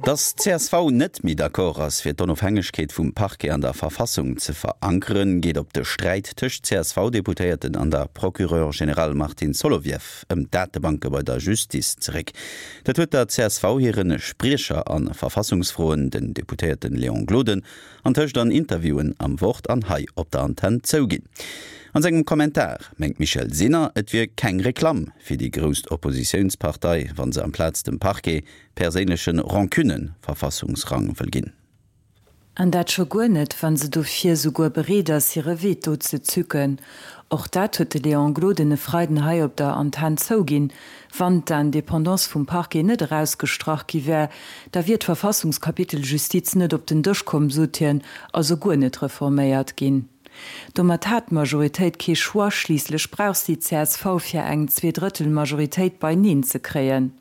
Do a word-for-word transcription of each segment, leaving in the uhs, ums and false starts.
Datt d'CSV net méi d'accord ass, fir d'Onofhängegkeet vum Parquet an der Verfassung ze verankeren, geet op de Sträit tëscht CSV-Deputéierten an der Procureure générale Martine Solovieff ëm d'Datebanke bei der Justiz zeréck. Dat huet der csv hire Spriecher a Verfassungsfroen, den Deputéierte Léon Gloden, antëscht an Interviewen am Wort an hei op der Antenn zouginn. An sengem Kommentar mengt d'Michèle Sinner, et wier keng Reklamm fir déi grousst Oppositiounspartei, wa se amplaz dem Parquet perséinleche Rancunen Verfassungsrang wëll ginn. An dat scho guer net, wa se dofir souguer bereet ass, hire Veto ze zücken. Och dat huet de Léon Gloden e Freiden hei op der Antenn zouginn, Wann d'Independance vum Parquet net erausgestrach gi wär, da wier d'Verfassungskapitel Justiz net op den Dësch komm, sot hien, also guer net reforméiert ginn. Domat hat d'Majoritéit kee Choix, schliisslech brauch si d'CSV fir eng Zweedrëttel-Majoritéit beineen ze kréien.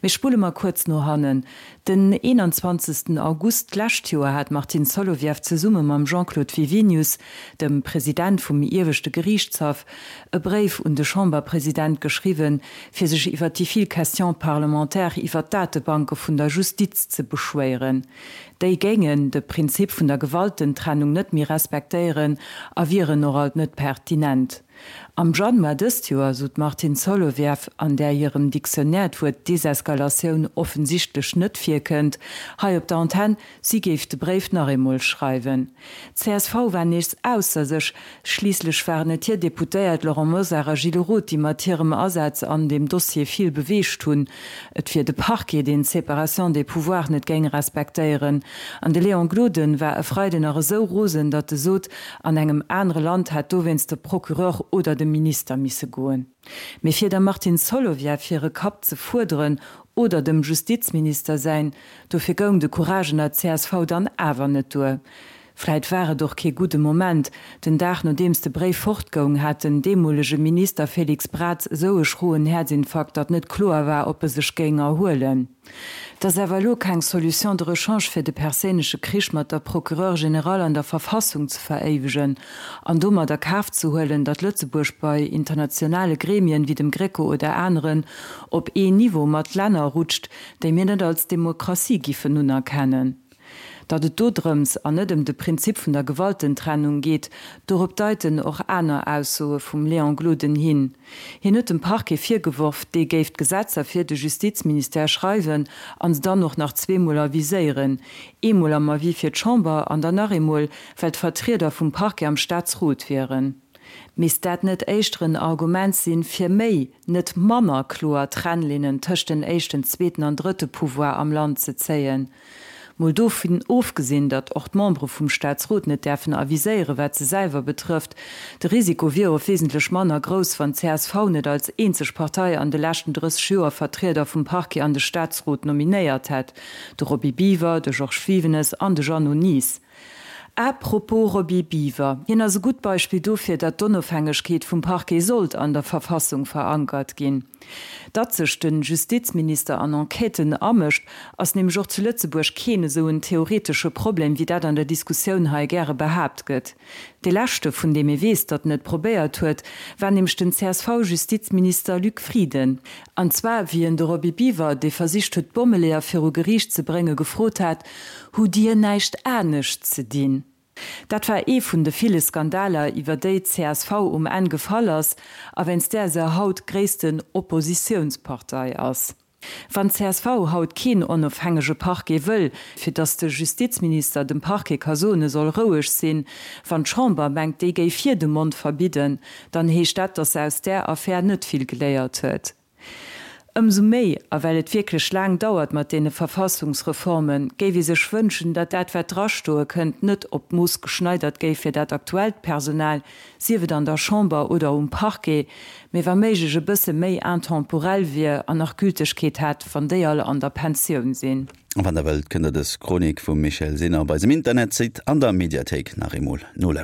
Mee spulle mer kuerz no hannen, Den eenanzwanzegsten August d'lescht Joer hat d'Martine Solovieff zesumme mam Jean-Claude Wiwinius, dem President vum Ieweschte Geriichtshaff, e Bréif un de Chamberpresident geschriwwen, fir sech iwwer déi vill Questions parlementaires iwwer d'Datebanke vun der Justiz ze beschwéieren. Déi géingen de Prinzip vun der Gewaltentrennung net méi respektéieren a wieren och alt net pertinent. Am Januar dëst Joer sot d'Martine Solovieff, an där hirem Dictionnaire d'Wuert Deseskalatioun offensichtlech net virkënnt, hei op der Antenn, si géif de Bréif nach eemol schreiwen. D'CSV war nees ausser sech, schliisslech waren et hir Deputéiert Laurent Mosar a Gilles Roth, déi mat hirem Asaz an deem Dossier vill beweegt hunn. Et wier de Parquet, deen d'Séparation des pouvoirs net géing respektéieren. An de Léon Gloden war e Freiden nach esou rosen, datt e sot, an engem anere Land hätt dowéinst de Procureur oder de Minister misse goen. Mee fir der Martine Solovieff hire Kapp ze fuerderen oder dem Justizminister säin, dofir goung de Courage an der csv dann awer net duer. Vläit war et och kee gudde Moment, den Dag nodeems de Bréif fortgoung, hat den deemolege Minister Félix Braz esou e schroen Häerzinfarkt, datt net kloer war, ob e sech géing erhuelen. Et ass awer elo keng Solution de rechange fir de perséinleche Krich mat der Procureure générale an der Verfassung ze veréiwegen an domat a Kaf ze huelen, datt Lëtzebuerg bei internationale Gremien wéi dem Greco oder aneren op ee Niveau mat Länner rutscht, déi mir net als Demokratie giffen unerkennen. Datt et do drëms an net ëm de Prinzip vun der Gewaltentrennung geet, dorop deiten och aner Aussoe vum Léon Gloden hin. Hien huet dem Parquet virgeworf, dee géif d'Gesetzer fir de Justizministère schreiwen an se dann och nach zweemol aviséieren, eemol am Avis fir d'Chamber an dann nach eemol, well d'Vertrieder vum Parquet am Staatsrot wieren. Misst dat net éischter en Argument sinn, fir méi, net manner kloer Trennlinnen tëscht den éischten, zweeten an drëtte Pouvoir am Land ze zéien? Mol dovun ofgesinn, datt och d'Membere vum Staatsrot net däerfen aviséieren, wat se selwer betrëfft. De Risiko wier och wesentlech manner grouss, wann d'CSV net als eenzeg Partei an de leschten drësseg Joer Vertrieder vum Parquet an de Staatsrot nominéiert hätt, de Roby Biwer, de Georges Wivenes an de Jeannot Nies. À propos Roby Biwer, hien ass e gutt Beispill dofir, datt d'Onofhängegkeet vum Parquet sollt an der Verfassung verankert ginn. Datt sech de Justizminister an Enquêten amëscht, ass nämlech och zu Lëtzebuerg keen esou en theoretesche Problem, wéi dat an der Diskussioun hei gäre behaapt gëtt. Dee leschte, vun deem ee weess, datt en et probéiert huet, war nämlech den CSV-Justizminister Luc Frieden. An zwar wéi en de Roby Biwer, dee versicht huet, d'Bommeleeër viru Geriicht ze bréngen, gefrot hat, Hutt Dir näischt anescht ze dinn? Dat war ee vun de ville Skandaler, iwwer déi d'CSV um Enn gefall ass a wéinst där se haut gréissten Oppositiounspartei ass. Wann d'CSV haut keen onofhängege Parquet wëll, fir datt de Justizminister dem Parquet ka soen, e soll roueg sinn, wann d'Chamber mengt, déi géif hir de Mond verbidden, dann heescht dat, datt se aus där Affär net vill geléiert huet. Ëmsou méi, a well et wierklech laang dauert mat deene Verfassungsreformen, géif ee sech wënschen, datt dat, wat drastoe kënnt, net op d'Mooss geschneidert géif fir dat aktuellt Personal, sief et an der Chamber oder um Parquet, mee wa méiglech e bësse méi intemporel wier an nach Gültegkeet hätt, wann déi all an der Pensioun sinn. A wann der wëllt, kënnt der dës Chronik vum Michèle Sinner op eisem Internetsite an der Mediathéik nach eemol nolauschteren.